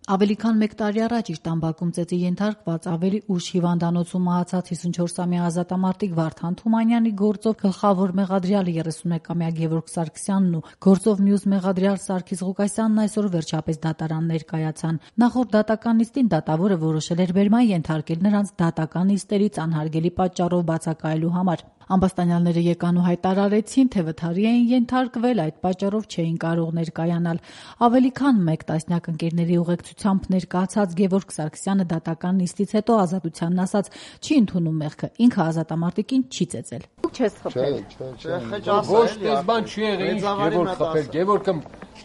Ավելի քան 1 տարի առաջ իր տան բակում ծեծի ենթարկված ավելի ուշ հիվանդանոցում մահացած 54-ամյա ազատամարտիկ Վարդան Թումանյանի գործով գլխավոր մեղադրյալ 31-ամյա Գևորգ Սարգսյանն ու գործով մյուս մեղադրյալ Սարգիս Ղուկասյանն այսօր վերջապես դատարան ներկայացան։ Նախորդ դատական նիստին դատավորը որոշել էր բերման ենթարկել նրանց դատական նիստերից անհարգելի պատճառով բացակայելու համար։ Ամբաստանյալները եկան ու հայտարարեցին, թե վթարի էին ենթարկվել, այդ պատճառով չէին կարող ներկայանալ։ Ավելի քան 1 տասնյակ ընկերների ուղեկցությամբ ներկայացած Գևորգ Սարգսյանը դատական նիստից հետո Ազատությանն ասաց, չի ընդունում մեղքը, ինքը ազատամարտիկին չի ծեծել։ Դուք չես խփել։ Ոչ պես բան չի եղել, ինչ Գևորգ խփել, Գևորգը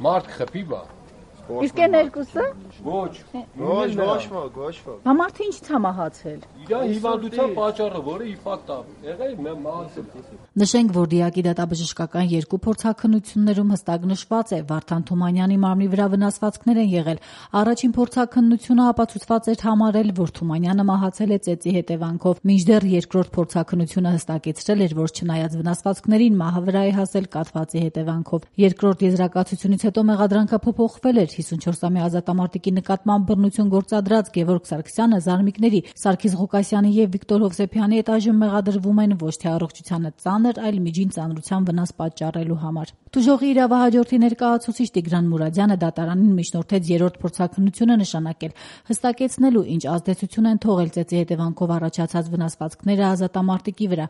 մարդ խփի բա։ Իսկ են երկուսը։ Ոչ։ Համարդը ինչ ցամահացել։ Իրա հիվանդության պատճառը, որը իֆակտ է, եղել մահացել։ Նշենք, որ դիակի դատաբժշկական 2 փորձաքննություններում հստակ նշված է, Վարդան Թումանյանի մարմնի վրա վնասվածքներ են եղել։ Առաջին փորձաքննությունը ապացուցված էր համարել, որ Թումանյանը մահացել է ծեծի հետևանքով, մինչդեռ երկրորդ փորձաքննությունը հստակեցրել էր, որ չնայած վնասվածքներին մահը վրա է հասել կաթվածի հետևանքով։ Երկրորդ եզրակացությունից հետո մեղադրանքը փոփոխվել էր 54-ամյա ազատամարտիկի նկատմամբ բռնություն գործադրած Գևորգ Սարգսյանը զարմիկների Սարգիս Ղուկասյանի եւ Վիկտոր Հովսեփյանի հետ այժմ մեղադրվում են ոչ թե առողջությանը ծանր, այլ միջին ծանրության վնաս պատճառելու համար։ Տուժողի իրավահաջորդի ներկայացուցիչ Տիգրան Մուրադյանը դատարանին միջնորդեց 3-րդ փորձաքննությունը նշանակել, հստակեցնելու ինչ ազդեցություն են թողել ծեծի հետևանքով առաջացած վնասվածքները ազատամարտիկի վրա,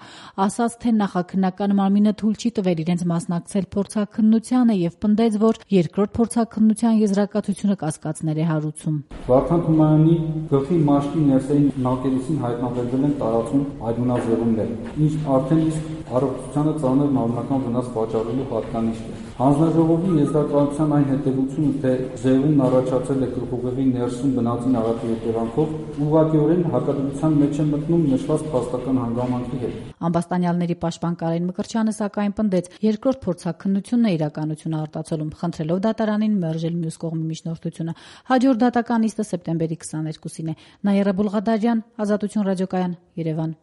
ասաց, թե նախաքննական մարմինը թույլ չի տվել իրենց մասնակցել փորձաքննությանը եւ պնդեց, որ երկրորդ փորձաքննության եզրակացությունը կասկածներ է հարուցում։ Վարդան Թումանյանի գլխի մաշկի ներսային նակերեսին հայտնաբերվել են տարածում այդունազեղումներ, ինչ արդեն իսկ առողջությանը ծանր մարմնական վնաս պատճառելու հատկանիշ է։ Հանձնաժողովի եզրակացության այն հետևությունը, թե զեղումն առաջացել է գլխուղեղի ներսում բնածին աղաթի հետևանքով, ուղղակիորեն հակադրության մեջ է մտնում նշված փաստական հանգամանքի հետ։ Ամբաստանյալների պաշտպան Կարեն Մկրտչյանը սակայն պնդեց, երկրորդ փորձաքննությունն է իրականությունը արտացոլում, խնդրելով դատարանին մերժել մյուս կողմի միջնորդությունը։ Հաջորդ դատական նիստը սեպտեմբերի 22-ին է։ Նաիրա Բուլղադարյան, Ազատություն ռադիոկայան, Երևան։